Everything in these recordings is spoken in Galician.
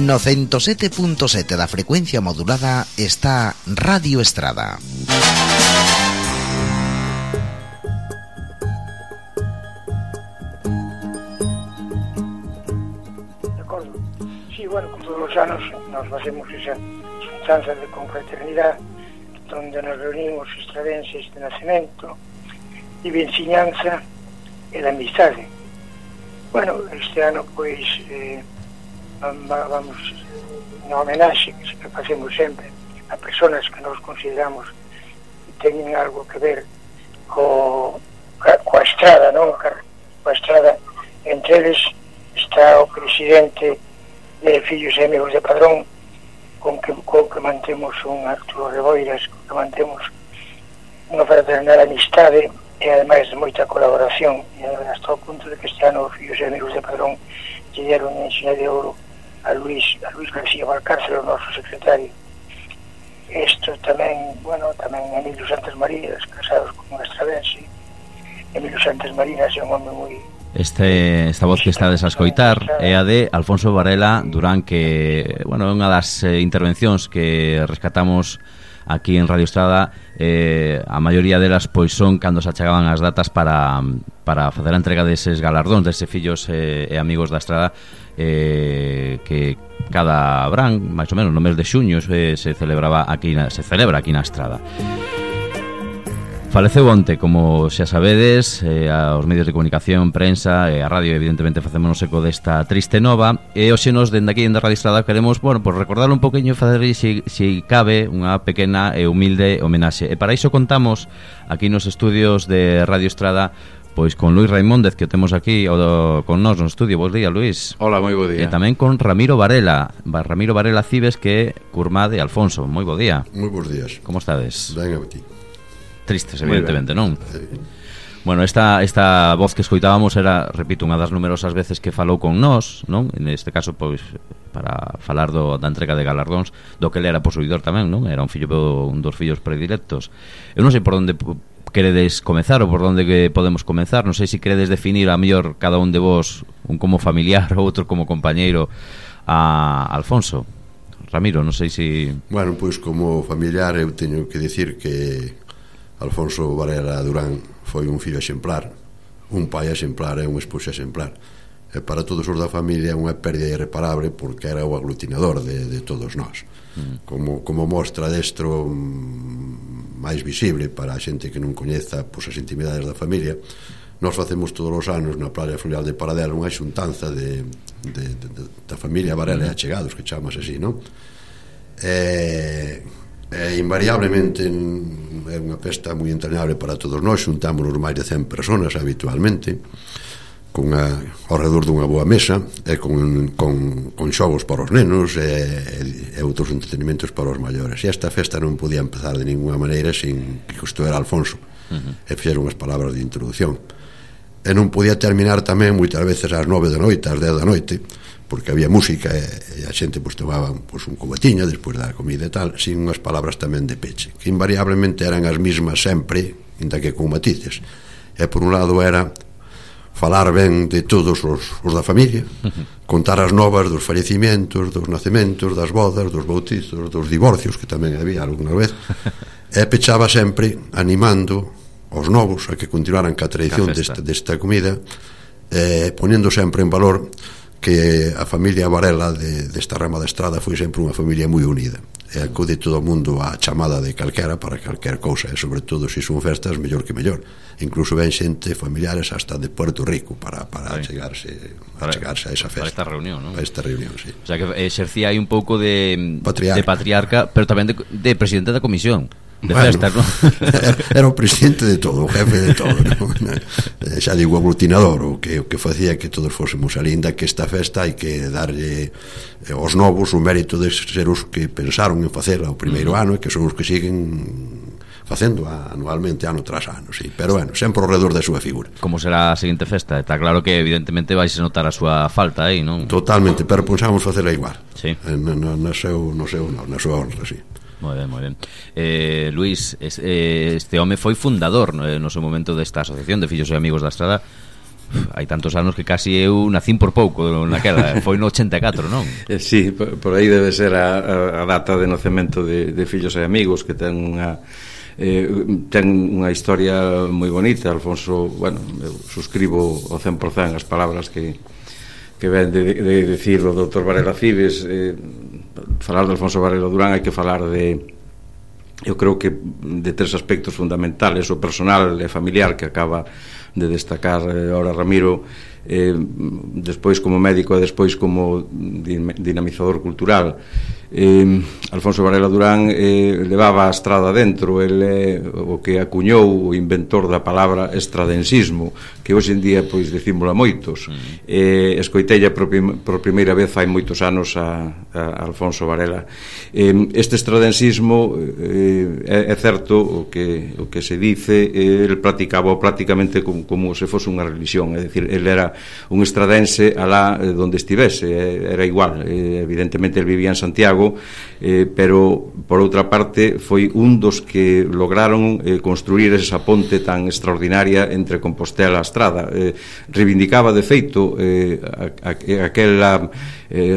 No 107.7 da frecuencia modulada está Radio Estrada. De acordo. Sí, bueno, como todos os anos nos facemos esa xuntanza de confraternidade donde nos reunimos estradenses de nacemento e de enseñanza e de amistade. Bueno, este ano pois vamos na homenaxe que facemos sempre a persoas que nos consideramos que teñen algo que ver coa estrada, non? Coa estrada. Entre eles está o presidente de Fillos e Amigos de Padrón, con que mantemos un Arturo Reboiras, con que mantemos unha fraternal amistade e ademais de moita colaboración, e hasta o punto de que este ano Fillos e Amigos de Padrón lle deron un enxina de ouro a Luis García Valcárcel, o noso secretario. Isto tamén, bueno, tamén Emilio Santos Marías, casados con un estradense. Emilio Santos Marías é un home moi... Esta voz que estades a escoitar é a de Alfonso Varela Durán, que, bueno, é unha das intervencións que rescatamos aquí en Radio Estrada. A maioría delas pois son cando se achegaban as datas para facer a entrega deses galardóns, deses fillos e amigos da Estrada, que cada verán, máis ou menos no mes de xuño, se celebra aquí na Estrada. Faleceu onte, como xa sabedes, aos medios de comunicación, prensa e a radio, evidentemente facémonos eco desta triste nova, e hoxe nos, dende aquí en Radio Estrada, queremos, bueno, pues recordar un poquinho e facer, se cabe, unha pequena e humilde homenaxe. E para iso contamos aquí nos estudios de Radio Estrada pois con Luis Raimóndez, que o temos aquí con nós no estudio. Bos días, Luis. Hola, moi bo día. E tamén con Ramiro Varela Cibes, que é curmá de Alfonso. Moi bo día. Moi bons días. Como estades? Ben a ti. Tristes, evidentemente, non? Bueno, esta voz que escoitábamos era, repito, unha das numerosas veces que falou con nós, non? Neste caso, pois, para falar da entrega de galardóns, do que ele era posuidor tamén, non? Era un dos fillos predilectos. Eu non sei por onde queredes comezar ou por onde que podemos comezar. Non sei se queredes definir a mellor cada un de vos, un como familiar ou outro como compañeiro a Alfonso. Ramiro, non sei se... Bueno, pois como familiar eu teño que dicir que Alfonso Varela Durán foi un fillo exemplar, un pai exemplar e un esposo exemplar. E para todos os da familia é unha pérdida irreparable, porque era o aglutinador de todos nós. Como mostra destro máis visible para a xente que non coñeza pois, as intimidades da familia, nós facemos todos os anos na Praia Fluvial de Paradelo unha xuntanza da familia Varela e achegados, que chamamos así, non? Invariablemente é unha festa moi entrañable para todos nós. Xuntámonos máis de 100 personas habitualmente, ao redor dunha boa mesa, e con xogos para os nenos e outros entretenimentos para os maiores. E esta festa non podía empezar de ninguna maneira sin que isto era Alfonso, e fixeron as palabras de introducción. E non podía terminar tamén moitas veces ás 9 da noite, ás 10 da noite, porque había música e a xente pois tomaba pois, un cubatiño despois da comida e tal, sin unhas palabras tamén de peche, que invariablemente eran as mismas sempre, inda que con matices. E por un lado era falar ben de todos os da familia, contar as novas dos fallecimientos, dos nacementos, das bodas, dos bautizos, dos divorcios, que tamén había alguna vez, e pechaba sempre animando os novos a que continuaran ca tradición desta comida, ponendo sempre en valor que a familia Varela desta rama da Estrada foi sempre unha familia moi unida, e acude todo o mundo á chamada de calquera para calquer cousa, e sobre todo se son festas mellor que mellor. Incluso ven xente familiares hasta de Puerto Rico para chegarse a esa festa, para esta reunión, non? Para esta reunión, sí. O sea que exercía aí un pouco de patriarca, pero tamén de presidente da comisión de festas, non? Era o presidente de todo, o jefe de todo, non? Xa digo, aglutinador, o que facía que todos fósemos ali, inda que esta festa hai que darlle aos novos o mérito de ser os que pensaron en facela o primeiro ano, e que son os que siguen facendo anualmente, ano tras ano, sí. Pero bueno, sempre ao redor da súa figura. Como será a seguinte festa? Está claro que evidentemente vais a notar a súa falta aí, non? Totalmente, pero pensamos facela igual, sí. Na súa honra, sí. Moi ben. Luis, este home foi fundador no seu momento desta asociación de fillos e amigos da Estrada. hai tantos anos que casi eu nacín por pouco naquela, foi no 84, non? Sí, por aí debe ser a data de nacemento de Fillos e Amigos, que ten unha historia moi bonita. Alfonso, bueno, eu suscribo ao 100% as palabras que ven de decir o Dr. Varela Cibes. Falar de Alfonso Varela Durán hai que falar eu creo que de tres aspectos fundamentales: o personal e familiar, que acaba de destacar ahora Ramiro, despois como médico e despois como dinamizador cultural. Alfonso Varela Durán levaba a estrada dentro. El é o que acuñou, o inventor da palabra estradensismo, que hoxe en día pois decímola moitos. Escoiteilla por primeira vez hai moitos anos a Alfonso Varela. Este estradensismo é certo o que se dice, el practicaba prácticamente como se fose unha religión, é dicir, el era un estradense alá donde estivese, era igual. Evidentemente el vivía en Santiago, pero por outra parte foi un dos que lograron construir esa ponte tan extraordinaria entre Compostela e Estrada. Reivindicaba de feito aquela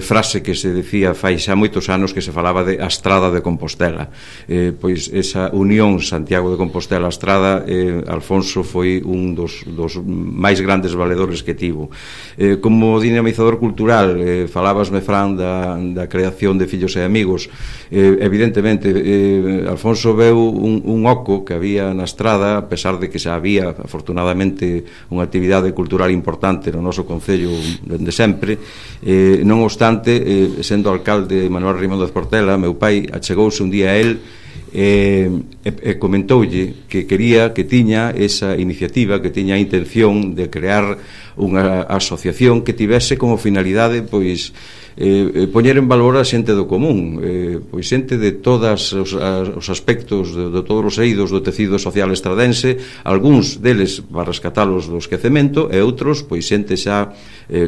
frase que se decía fai xa moitos anos, que se falaba de a Estrada de Compostela. Pois esa unión Santiago de Compostela a Estrada, Alfonso foi un dos máis grandes valedores que tivo. Como dinamizador cultural, falabasme, Fran, da creación de Fillos e Amigos. Evidentemente Alfonso veu un oco que había na Estrada, a pesar de que xa había afortunadamente unha actividade cultural importante no noso concello dende sempre. Non obstante, sendo alcalde Manuel Rimóndez Portela, meu pai achegouse un día a él e comentoulle que quería, que tiña esa iniciativa, que tiña a intención de crear unha asociación que tivese como finalidade pois poñer en valor a xente do común, pois xente de todos os aspectos, de todos os eidos do tecido social estradense, algúns deles para rescatalos do esquecemento, e outros pois xente xa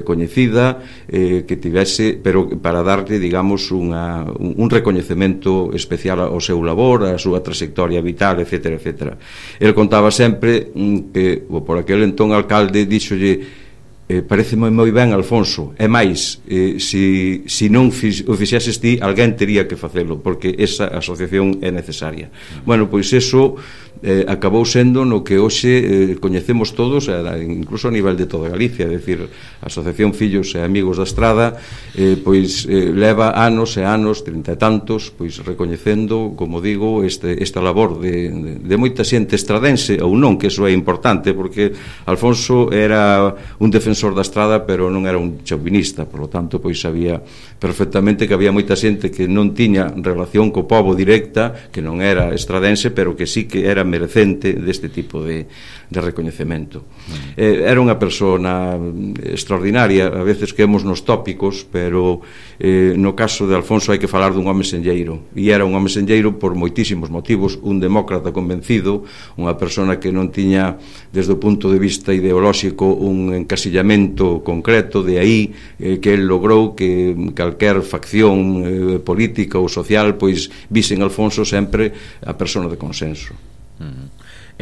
coñecida, que tivese, pero para darlle, digamos, un recoñecemento especial ao seu labor, a súa trayectoria vital, etcétera, etcétera. El contaba sempre que, por aquel entón alcalde, díxolle: pareceme moi ben, Alfonso, e máis, se non o fixeses ti, alguén tería que facelo, porque esa asociación é necesaria. Bueno, pois eso acabou sendo no que hoxe coñecemos todos, incluso a nivel de toda Galicia. É dicir, a Asociación Fillos e Amigos da Estrada pois leva anos e anos, 30 e tantos, pois recoñecendo, como digo, esta labor de moita xente estradense ou non, que eso é importante, porque Alfonso era un defensor da Estrada, pero non era un chauvinista. Por lo tanto, pois sabía perfectamente que había moita xente que non tiña relación co pobo directa, que non era estradense, pero que sí que era merecente deste tipo de recoñecemento. Era unha persona extraordinaria. A veces quedamos nos tópicos, pero no caso de Alfonso hai que falar dun home senlleiro, e era un home senlleiro por moitísimos motivos, un demócrata convencido, unha persona que non tiña, desde o punto de vista ideolóxico, un encasillamento concreto. De aí que el logrou que calquer facción política ou social pois vise en Alfonso sempre a persona de consenso.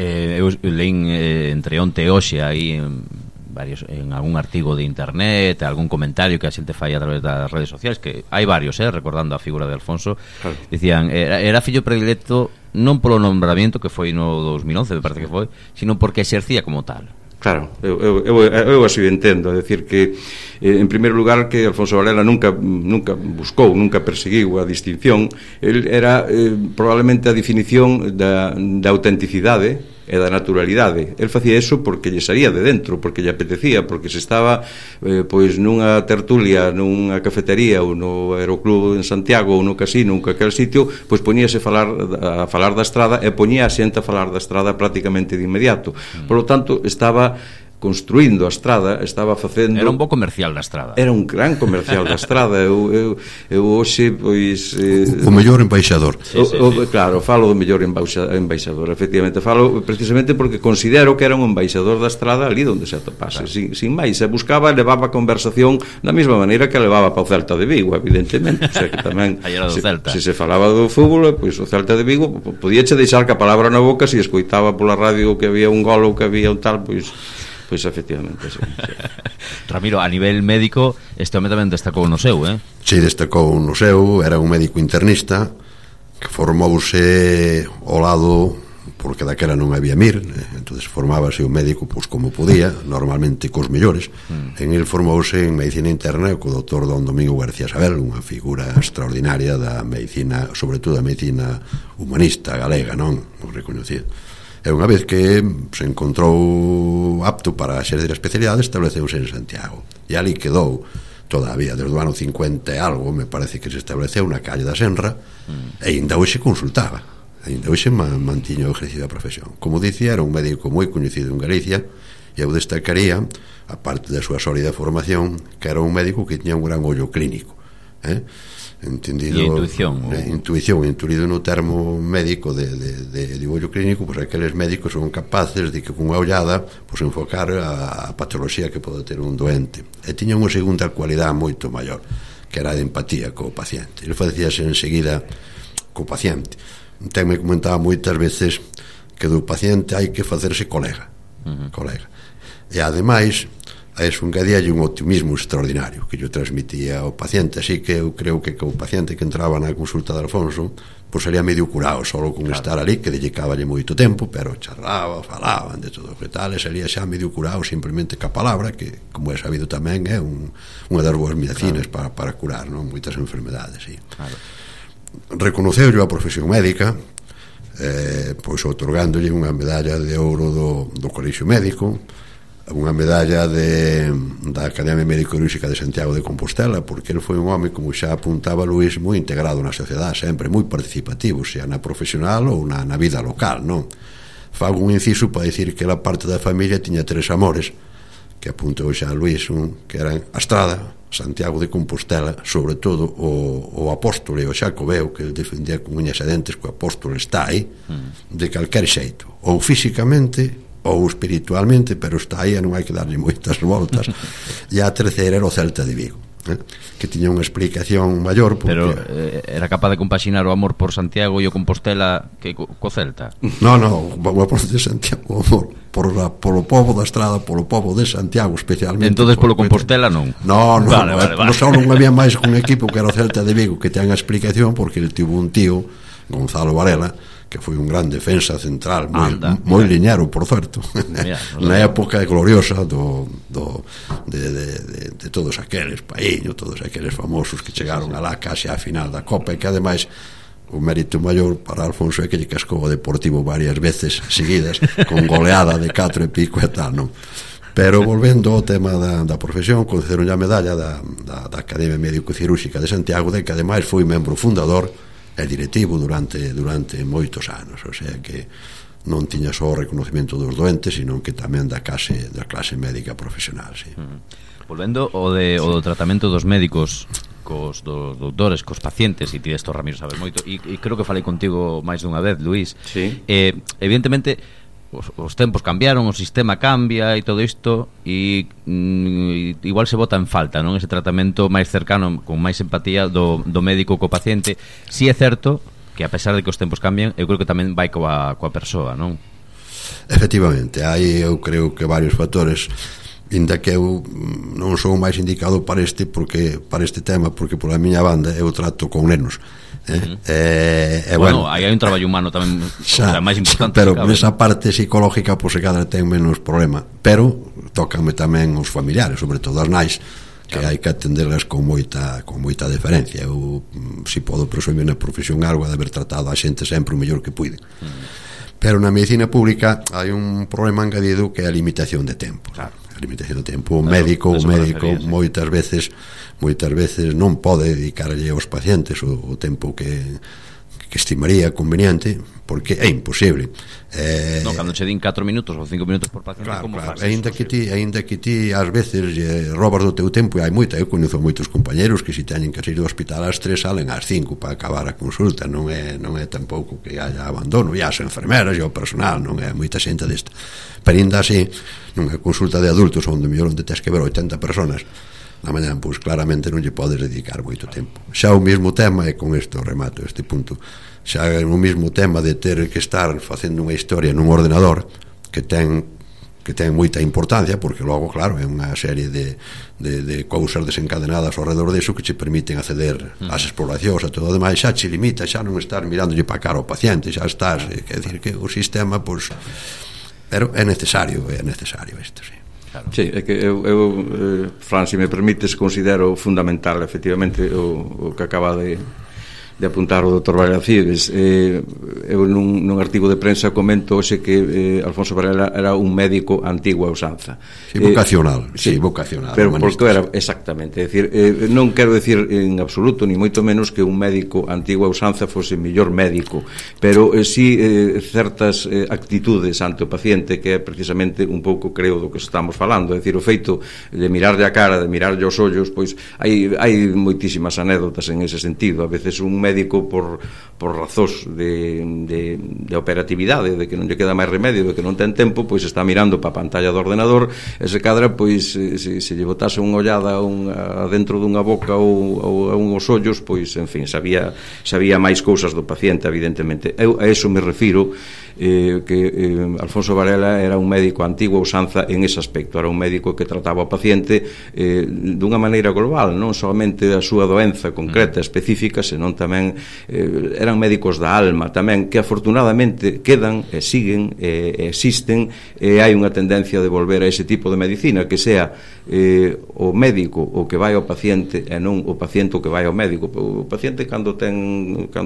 Eu leín entre onte e hoxe aí en algún artigo de internet, algún comentario que a xente fai a través das redes sociais, que hai varios, recordando a figura de Alfonso. Claro. Dicían, era fillo predilecto non polo nombramento que foi no 2011, me parece que foi, sino porque exercía como tal. Claro, eu así entendo. É dicir que, en primeiro lugar, que Alfonso Varela nunca buscou, nunca perseguiu a distinción. El era probablemente a definición da autenticidade e da naturalidade. El facía eso porque lle saía de dentro, porque lle apetecía, porque se estaba pois nunha tertulia, nunha cafetería ou no Aeroclub en Santiago ou no casino, ou aquel sitio, pois poñíase a falar da Estrada, e poñía a xente a falar da Estrada prácticamente de inmediato. Por lo tanto, estaba construindo a Estrada, estaba facendo... Era un bo comercial da Estrada. Era un gran comercial da Estrada. Eu hoxe, pois... o mellor embaixador. Sí. Claro, falo do mellor embaixador. Efectivamente, falo precisamente porque considero que era un embaixador da Estrada ali onde se atopase. Claro. Sin máis, se buscaba, levaba a conversación da mesma maneira que levaba para o Celta de Vigo, evidentemente. O sea, que tamén, se se falaba do fútbol, pois o Celta de Vigo podíache deixar que a palabra na boca se escoitaba pola radio que había un gol ou que había un tal, pois Pois efectivamente, sí. Ramiro, a nivel médico, este home tamén destacou no seu, Si, destacou no seu, era un médico internista que formouse ao lado, porque daquela non había MIR, entonces formábase un médico pois como podía, normalmente cos mellores. En el formouse en medicina interna co doutor Don Domingo García Sabel, unha figura extraordinaria da medicina, sobre todo da medicina humanista galega, non? Moi recoñecido. E unha vez que se encontrou apto para exercer a especialidade, estableceuse en Santiago. E ali quedou todavía, desde o ano 50 e algo, me parece que se estableceu na calle da Senra, e ainda hoxe consultaba, ainda hoxe mantiño o ejercicio da profesión. Como dicía, era un médico moi coñecido en Galicia, e eu destacaría, a parte da súa sólida formación, que era un médico que tiña un gran ollo clínico, entendido, intuición, entendido no termo médico de ollo clínico, pois aqueles médicos son capaces de que con unha ollada pois enfocar a patoloxía que pode ter un doente. E tiña unha segunda cualidade moito maior, que era a de empatía co paciente. Ele facíase enseguida co paciente. Tenme comentaba moitas veces que do paciente hai que facerse colega. E ademais a eso engadíalle un optimismo extraordinario que yo transmitía ao paciente, así que eu creo que o paciente que entraba na consulta de Alfonso pois sería medio curado solo con estar ali, que dedicaballe moito tempo, pero charlaba, falaban de todo que tal, e sería xa medio curado simplemente ca palabra, que como é sabido tamén é unha das boas medicinas para curar, non, moitas enfermedades, sí. Reconoceu a profesión médica, pois outorgándolle unha medalla de ouro do Colexio Médico, unha medalla da Academia Médico-Quirúrxica de Santiago de Compostela, porque ele foi un home, como xa apuntaba Luís, moi integrado na sociedade, sempre moi participativo, xa na profesional ou na vida local, non? Fago un inciso para dicir que a parte da familia tiña 3 amores, que apuntou xa Luís, que eran a Estrada, Santiago de Compostela, sobre todo o apóstolo e o Xacobeo, que ele defendía con uñas e dentes que o apóstolo está aí, de calquer xeito, ou físicamente ou espiritualmente, pero está aí e non hai que darlle moitas voltas. E a terceira era o Celta de Vigo, que tiña unha explicación maior porque... Pero era capaz de compaxinar o amor por Santiago e o Compostela que co Celta? No, o amor de Santiago, o amor polo povo da Estrada, polo povo de Santiago especialmente. Entonces polo Compostela non? No, vale. Só non había máis un equipo que era o Celta de Vigo, que ten a explicación porque ele tivo un tío, Gonzalo Varela, que foi un gran defensa central, moi liñero, por certo, na época gloriosa de todos aqueles Paíño, todos aqueles famosos que chegaron alá case á final da Copa, e que ademais o mérito maior para Alfonso é que lle cascou o Deportivo varias veces seguidas con goleada de 4 e pico e tal, non? Pero volvendo ao tema da profesión, concederon a medalla da Academia Médico-Quirúrxica de Santiago, de que ademais foi membro fundador e directivo durante moitos anos, o sea que non tiña só o reconocimiento dos doentes, sino que tamén da clase médica profesional, sí. Volvendo o do tratamento dos médicos cos dos doutores, cos pacientes, e ti isto, Ramiro, sabes moito, e creo que falei contigo máis dunha vez, Luís. Sí. Evidentemente os tempos cambiaron, o sistema cambia e todo isto, e igual se bota en falta, non, ese tratamento máis cercano, con máis empatía do médico co paciente. Si é certo que a pesar de que os tempos cambian, eu creo que tamén vai coa persoa, non? Efectivamente, hai eu creo que varios factores, inda que eu non sou máis indicado para este tema, porque pola miña banda eu trato con nenos. Bueno, aí hai un traballo humano tamén máis importante, pero esa parte psicológica pois cada ten menos problema, pero tócame tamén os familiares, sobre todo as nais, que hai que atenderlas con moita deferencia. Eu, se podo presumir na profesión algo, de haber tratado a xente sempre o mellor que puide. Pero na medicina pública hai un problema engadido, que é a limitación de tempo. A limitación de tempo, o médico moitas veces non pode dedicarlle aos pacientes o tempo que estimaría conveniente, porque é imposible. Non, cando che din 4 minutos ou 5 minutos por paciente, claro, como faz? Ainda que ti ás veces robas do teu tempo, e hai moita, eu coñezo moitos compañeros que se teñen que ir do hospital ás 3 salen ás 5 para acabar a consulta, non é tampouco que haya abandono, e as enfermeras e o personal, non é moita xente desta, pero ainda así nunha consulta de adultos onde mellor onde tens que ver 80 personas na mañá, pois claramente non lle podes dedicar moito tempo. Xa o mesmo tema, e con isto remato este punto, xa o mesmo tema de ter que estar facendo unha historia nun ordenador que ten que ten moita importancia, porque logo, claro, é unha serie de cousas desencadenadas ao redor deso que che permiten acceder ás exploracións, a todo o demais, xa che limita, xa non estás mirándolle para cara ao paciente, xa estás, quer decir que o sistema, pois, pero é necesario isto, sí. Claro. Sí, é que eu Fran, se me permites, considero fundamental efectivamente o que acaba de apuntar o Dr. Varela Cibes. Eu nun artigo de prensa comento hoxe que Alfonso Varela era un médico antigua usanza. Sí, vocacional, sí, vocacional. Pero porque era, exactamente, é dicir, non quero decir en absoluto, ni moito menos que un médico antigua usanza fose mellor médico, pero sí certas actitudes ante o paciente, que é precisamente un pouco, creo, do que estamos falando, é dicir, o feito de mirarlle a cara, de mirarlle os ollos, pois hai moitísimas anécdotas en ese sentido. A veces un médico por razóns de operatividade, de que non lle queda máis remedio, de que non ten tempo, pois está mirando para a pantalla do ordenador, e se cadra, pois se lle botase unha ollada dentro dunha boca ou a uns ollos, pois, en fin, sabía máis cousas do paciente, evidentemente. Eu a eso me refiro, que Alfonso Varela era un médico antigua usanza en ese aspecto, era un médico que trataba o paciente dunha maneira global, non somente a súa doenza concreta, específica, senón tamén eran médicos da alma tamén, que afortunadamente quedan e siguen e existen, e hai unha tendencia de volver a ese tipo de medicina, que sea o médico o que vai ao paciente e non o paciente o que vai ao médico. O paciente cando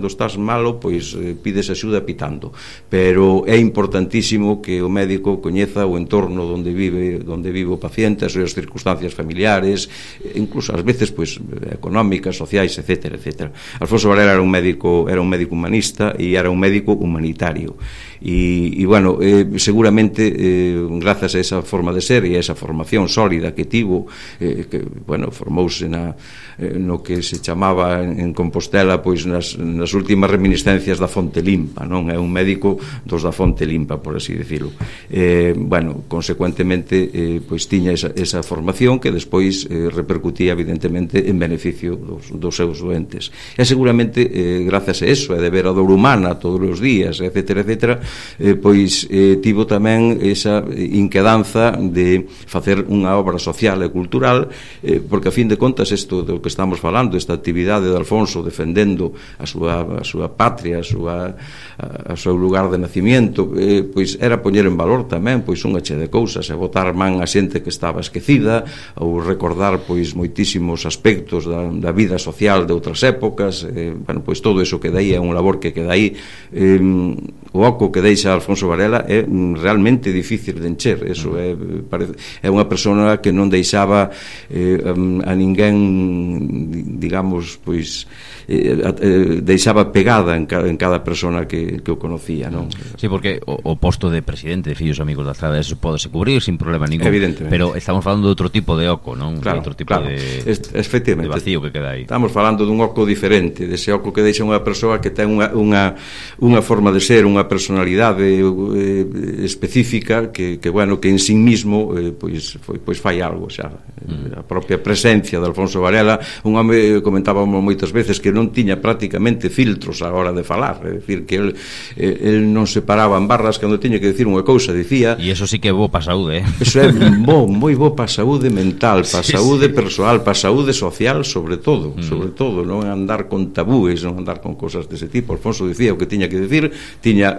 estás malo, pois pides axuda pitando, pero é importantísimo que o médico coñeza o entorno onde vive o paciente, as súas circunstancias familiares, incluso ás veces pois económicas, sociais, etcétera, etcétera. Alfonso Varela era un médico humanista e era un médico humanitario. E bueno, seguramente grazas a esa forma de ser e a esa formación sólida que tivo, que, bueno, formouse no que se chamaba en Compostela, pois nas últimas reminiscencias da Fonte Limpa, non? É un médico dos da Fonte Limpa, por así decirlo. Bueno, consecuentemente, pois tiña esa formación que despois repercutía evidentemente en beneficio dos seus doentes. E seguramente, grazas a eso, e de ver a dor humana todos os días, etcétera, etcétera, pois tivo tamén esa inquedanza de facer unha obra social e cultural, porque a fin de contas isto do que estamos falando, esta actividade de Alfonso defendendo a súa patria, a seu lugar de nacimiento, pois era poñer en valor tamén pois unha che de cousas, e botar man a xente que estaba esquecida, ou recordar pois moitísimos aspectos da vida social de outras épocas. Bueno, pois todo iso que dai é un labor que queda aí. O oco que deixa Alfonso Varela é realmente difícil de encher. Eso é unha persona que non deixaba a ninguén, digamos, pois deixaba pegada en cada persona que o conocía, non? Sí, porque o posto de presidente de Fillos Amigos da Estrada, eso podese cubrir sin problema ningún, pero estamos falando de outro tipo de oco, non? Claro, outro tipo claro. De vacío que queda aí. Estamos falando dun oco diferente, dese oco que deixa unha persoa que ten unha forma de ser, unha personalidade específica que bueno, que en sí mismo pois fai algo xa. A propia presencia de Alfonso Varela, un home, comentábamos moitas veces, que non tiña prácticamente filtros a hora de falar, é dicir, que el non se paraba en barras cando tiña que decir unha cousa, dicía. E iso sí que é bo para a saúde, Eso é moi bo para a saúde mental, para a saúde persoal, para a saúde social, sobre todo, non andar con tabúes, non andar con cousas dese tipo. Alfonso dicía o que tiña que decir, tiña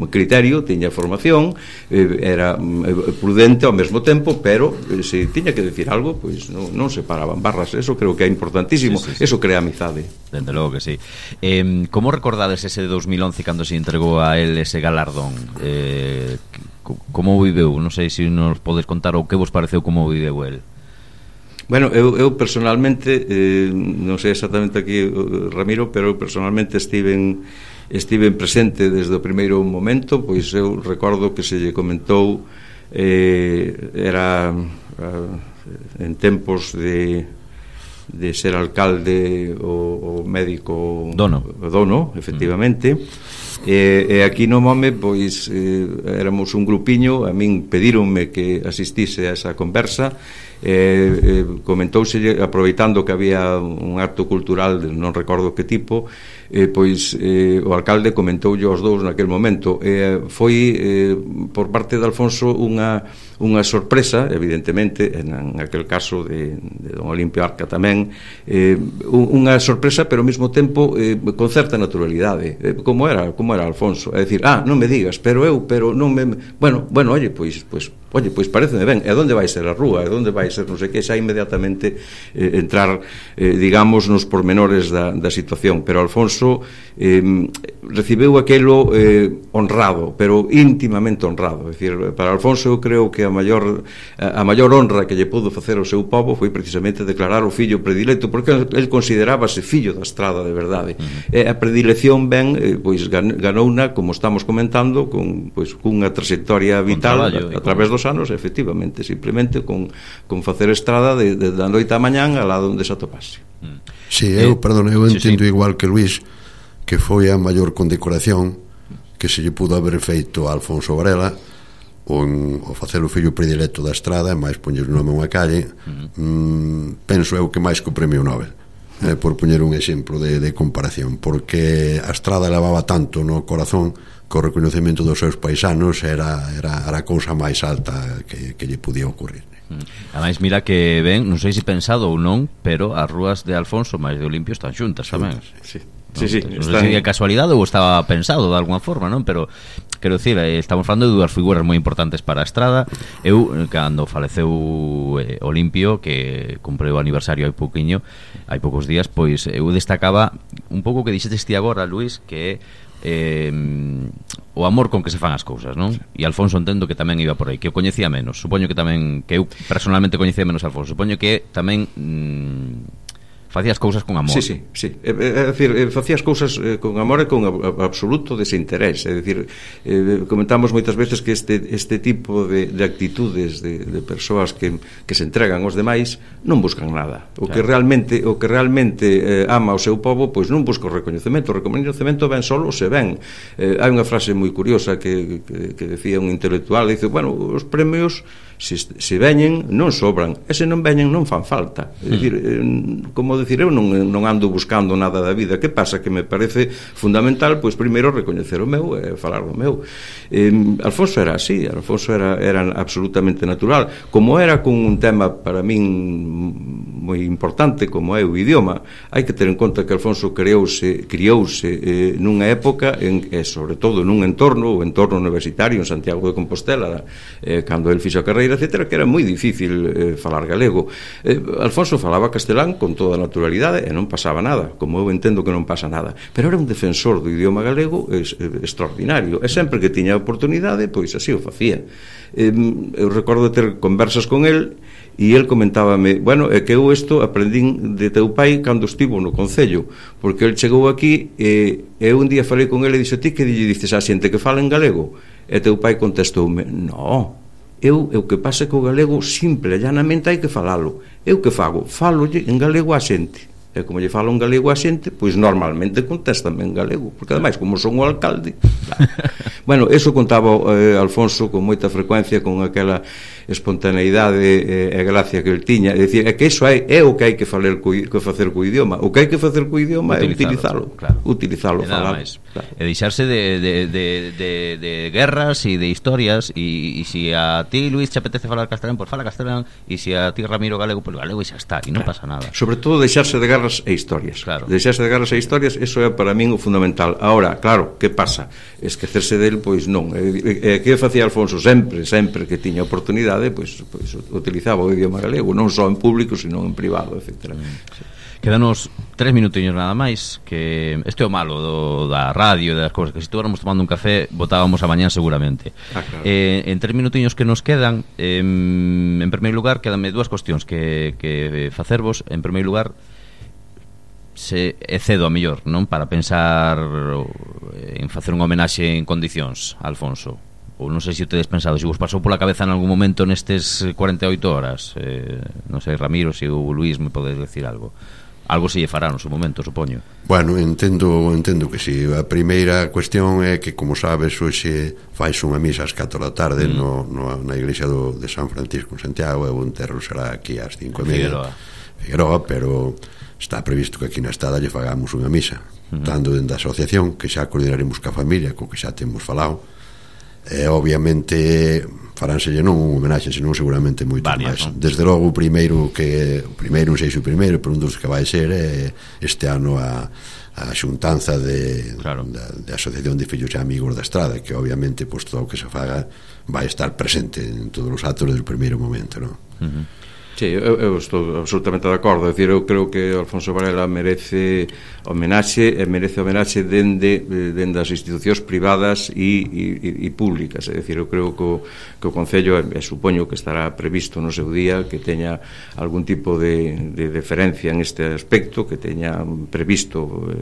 criterio, tiña formación, era prudente ao mesmo tempo, pero se tiña que decir algo, pois non se paraban barras. Eso creo que é importantísimo. Eso crea amizade. Dende logo que sí. Como recordades ese de 2011 cando se entregou a él ese galardón? Como viveu? Non sei se nos podes contar o que vos pareceu como viveu él. Bueno, eu personalmente non sei exactamente aquí, Ramiro, pero eu personalmente estive presente desde o primeiro momento. Pois eu recordo que se lle comentou, era en tempos de ser alcalde o médico Dono, efectivamente, e aquí no Mome pois éramos un grupiño. A min pedíronme que asistise a esa conversa. Comentouse, aproveitando que había un acto cultural, non recordo que tipo, pois o alcalde comentoulle aos dous naquel momento. Foi por parte de Alfonso unha unha sorpresa, evidentemente, en aquel caso de don Olimpio Arca tamén, unha sorpresa, pero ao mesmo tempo con certa naturalidade, como era Alfonso, é dicir, non me digas, pero non me... Bueno, oye, pois pareceme ben, e onde vai ser a rúa, e onde vai ser non sei que, xa inmediatamente entrar, digamos, nos pormenores da situación, pero Alfonso recibeu aquelo honrado, pero íntimamente honrado, é dicir, para Alfonso eu creo que a maior honra que lle pudo facer ao seu povo foi precisamente declarar o fillo predilecto, porque el considerábase fillo da Estrada de verdade, e a predilección ben, pois ganouna, como estamos comentando, cunha trayectoria vital a través dos anos, efectivamente, simplemente con facer Estrada da noite á mañán a lado onde se atopase. Sí, eu entendo igual que Luís, que foi a maior condecoración que se lle pudo haber feito a Alfonso Varela o facer o fillo predilecto da Estrada, máis poñer o nome a unha calle. Penso eu que máis que o premio Nobel, por poñer un exemplo de comparación, porque a Estrada levaba tanto no corazón que o reconhecemento dos seus paisanos era a cousa máis alta que lle podía ocurrir. Ademais, mira que ben, non sei se pensado ou non, pero as rúas de Alfonso máis de Olimpio están xuntas tamén. Sí. Non sei se é casualidade ou estaba pensado de alguna forma, non? Pero quero dicir, estamos falando de dúas figuras moi importantes para a Estrada. Eu, cando faleceu Olimpio, que cumpreu o aniversario hai poucos días, pois eu destacaba un pouco que dixetes ti agora, Luís, que o amor con que se fan as cousas, non? E Alfonso entendo que tamén iba por aí, que o coñecía menos. Supoño que tamén, que eu personalmente coñecía menos a Alfonso. Supoño que tamén facías cousas con amor. Sí. É dicir, facías cousas con amor e con absoluto desinterés. É dicir, comentamos moitas veces que este tipo de actitudes de persoas que se entregan aos demais non buscan nada. O que realmente ama o seu povo, pois non busca o recoñecemento. O recoñecemento ven solo se ven. Hai unha frase moi curiosa que decía un intelectual, dice, bueno, os premios se veñen non sobran, e se non veñen non fan falta. É dicir, como dicir, eu non ando buscando nada da vida. Que pasa? Que me parece fundamental, pois primeiro recoñecer o meu e falar do meu. Alfonso era así, Alfonso era absolutamente natural, como era con un tema para min moi importante como é o idioma. Hai que ter en conta que Alfonso criouse nunha época e sobre todo nun entorno universitario en Santiago de Compostela, cando el fixo a carreira, etcétera, que era moi difícil falar galego. Alfonso falaba castelán con toda naturalidade e non pasaba nada, como eu entendo que non pasa nada, pero era un defensor do idioma galego extraordinario, e sempre que tiña oportunidade, pois así o facía. Eu recordo ter conversas con el e el comentábame, bueno, é que eu isto aprendín de teu pai cando estivo no Concello, porque el chegou aquí e eu un día falei con ele e dixo, ti que lle dices a xente que fala en galego? E teu pai contestoume, no, eu que pasa que o galego simple e llanamente hai que falalo. Eu que fago? Falolle en galego a xente. E como lle falo en galego a xente, pois normalmente contéstame en galego, porque ademais, como son o alcalde, bueno, eso contaba Alfonso con moita frecuencia, con aquela espontaneidade e gracia que el tiña, é dicir, é que iso é o que hai que facer co idioma. O que hai que facer co idioma é utilizalo, falar, claro. E deixarse de guerras e de historias, e se a ti, Luís, te apetece falar castelán, pois fala castelán, e se a ti, Ramiro, galego, pois galego e xa está, e non pasa nada. Sobre todo deixarse de guerras e historias. Claro. Deixarse de guerras e historias, eso é para min o fundamental. Ahora, claro, que pasa? Esquecerse del, pois non. Que facía Alfonso sempre que tiña oportunidade, pois utilizaba o idioma galego, non só en público, sino en privado, etc. Quedanos 3 minutiños nada máis, que este é o malo da radio e das cousas, que se estuéramos tomando un café botábamos a mañán seguramente. Claro. En 3 minutiños que nos quedan, en primeiro lugar, quedanme dúas cuestións que facervos. En primeiro lugar, se cedo a mellor, non? Para pensar en facer unha homenaxe en condicións a Alfonso. Ou non sei se tedes pensado, se vos pasou pola cabeza en algún momento nestes 48 horas. Non sei, Ramiro, se o Luís me podes decir algo se lle fará no seu momento, supoño. Bueno, entendo que si. A primeira cuestión é que, como sabes, hoxe fais unha misa ás 4 da tarde na iglesia de San Francisco en Santiago, e o enterro será aquí ás 5:30 Figueroa, pero está previsto que aquí na Estrada lle fagamos unha misa, tanto dentro da asociación, que xa coordinaremos ca familia, co que xa temos falado, E obviamente faránselle non un homenaxe, senón seguramente moito máis. Non? Desde logo o primeiro non sei se o primeiro, pero un dos que vai ser este ano a xuntanza da Asociación de Fillos e Amigos da Estrada, que obviamente pues, todo o que se faga vai estar presente en todos os actos desde o primeiro momento, non? Sí, eu estou absolutamente de acordo. É dicir, eu creo que Alfonso Varela merece homenaxe dende as institucións privadas e públicas. É dicir, eu creo que o Concello, supoño que estará previsto no seu día, que teña algún tipo de deferencia en este aspecto, que teña previsto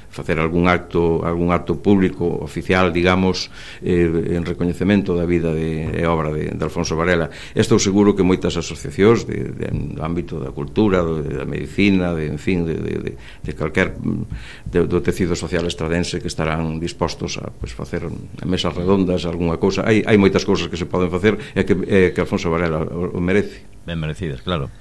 facer algún acto público oficial, digamos, en recoñecemento da vida e obra de Alfonso Varela. Estou seguro que moitas asociacións do ámbito da cultura, da medicina, en fin, de calquer do tecido social estradense que estarán dispostos a facer mesas redondas, algunha cousa. Hai moitas cousas que se poden facer e que Alfonso Varela o merece. Ben merecidas, claro.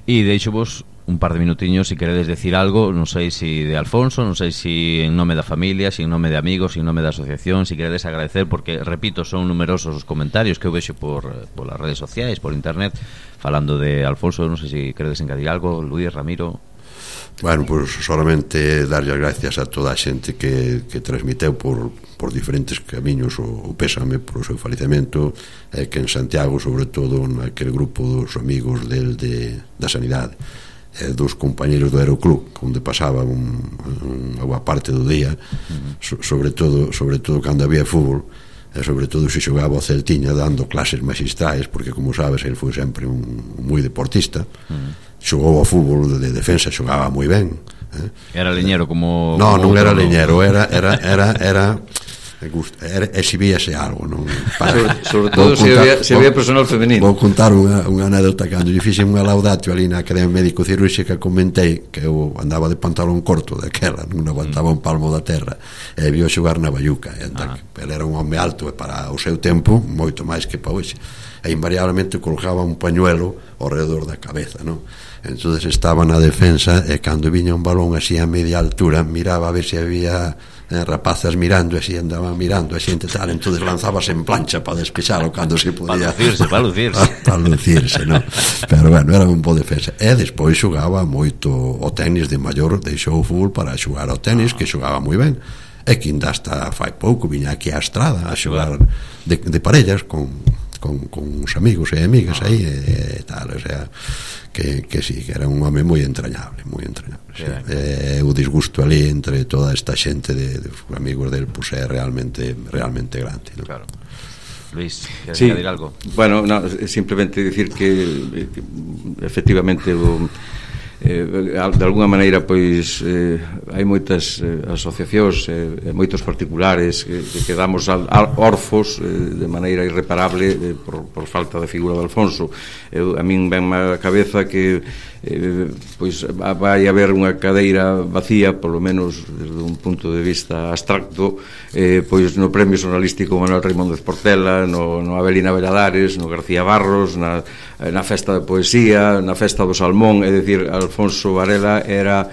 E deixo vos un par de minutiños si queredes decir algo, non sei si de Alfonso, non sei si en nome da familia, si en nome de amigos, si en nome da asociación, si queredes agradecer, porque, repito, son numerosos os comentarios que eu vexo por as redes sociais, por internet, falando de Alfonso. Non sei si queredes engadir algo, Luís, Ramiro. Bueno, pues solamente darlle as gracias a toda a xente que transmiteu por diferentes camiños o pésame por o seu falecemento, que en Santiago, sobre todo, naquele grupo dos amigos da Sanidade, dos compañeros do Aeroclub, onde pasaba unha boa parte do día, sobre todo cando había fútbol, e sobre todo se xogaba o Celtiña dando clases magistrais, porque como sabes, ele foi sempre un moi deportista. Xogou ao fútbol de defensa, xogaba moi ben. Era leñero como... Non era leñero, era exhibíase algo, non? Sobre todo se había personal femenino. Vou contar unha anécdota. Cando lle fixen unha laudatio ali na Academia Médico Cirúrxica, comentei que eu andaba de pantalón corto daquela, non aguantaba un palmo da terra, e vio xogar na Bayuca. Ele era un home alto, e para o seu tempo moito máis que para hoxe, e invariablemente colgaba un pañuelo ao redor da cabeza, non? Entonces estaba na defensa, e cando viña un balón así a media altura, miraba a ver se había rapazas mirando, así andaban mirando a xente tal, entonces lanzábase en plancha para despexalo cando se podía, para lucirse, non? Pero bueno, era un bo defensa. E despois xogaba moito o tenis de maior, deixou o fútbol para xogar ao tenis, que xogaba moi ben, e que ainda hasta fai pouco viña aquí á Estrada a xogar de parellas con os amigos e amigas aí e tal, o sea, que sí, que era un home moi entrañable, sí. O disgusto ali entre toda esta xente de amigos del, pues é realmente grande, ¿no? Claro. Luís, queres añadir algo? Bueno, simplemente decir que efectivamente de alguna maneira pois hai moitas asociacións e moitos particulares que quedamos órfos de maneira irreparable por falta de figura de Alfonso. A min venme a cabeza que pois vai haber unha cadeira vacía, polo menos desde un punto de vista abstracto, pois no Premio Xornalístico Manuel Raimóndez Portela, no Avelina Valladares, no García Barros, na Festa de Poesía, na Festa do Salmón. É dicir, Alfonso Varela era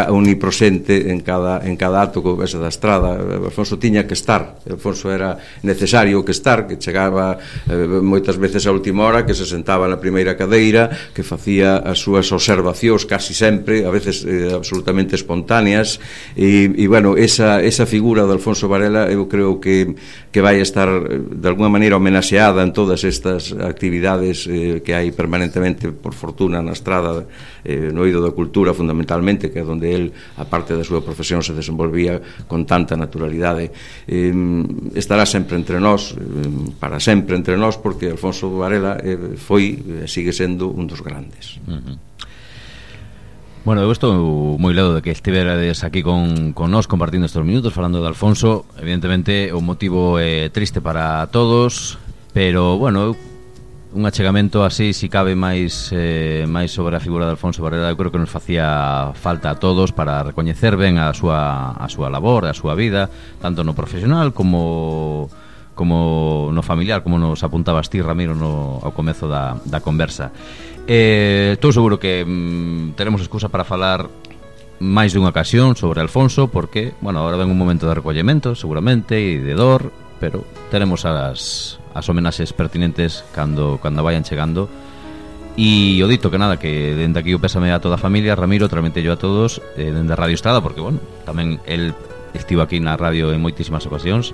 omnipresente en cada acto que houvese da Estrada. Alfonso tiña que estar, Alfonso era necesario que estar, que chegaba moitas veces a última hora, que se sentaba na primeira cadeira, que facía as súas observacións casi sempre, a veces absolutamente espontáneas, e bueno, esa figura de Alfonso Varela eu creo que vai estar de alguna maneira homenaxeada en todas estas actividades que hai permanentemente, por fortuna, na Estrada, no eido da cultura fundamentalmente, que é onde el, a parte da súa profesión, se desenvolvía con tanta naturalidade. Estará sempre entre nós, para sempre entre nós, porque Alfonso Varela foi e sigue sendo un dos grandes. Bueno, eu estou moi ledo de que estiverades aquí con nós compartindo estes minutos falando de Alfonso. Evidentemente o motivo é triste para todos, pero bueno, un achegamento así, si cabe máis sobre a figura de Alfonso Varela, eu creo que nos facía falta a todos para recoñecer ben a súa labor, a súa vida, tanto no profesional como no familiar, como nos apuntabas ti, Ramiro, ao comezo da conversa. Estou seguro que teremos excusa para falar máis dunha ocasión sobre Alfonso, porque, bueno, agora ven un momento de recollemento, seguramente, e de dor, pero teremos as homenaxes pertinentes cando vayan chegando. E o dito que nada, que dende aquí o pésame a toda a familia, Ramiro, trametello a todos dende Radio Estrada, porque, bueno, tamén el estivo aquí na radio en moitísimas ocasións.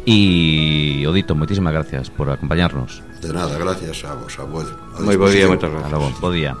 E o dito, moitísimas gracias por acompañarnos. De nada, gracias a vos, a vos. Moi bo día, moitas gracias. Bo día.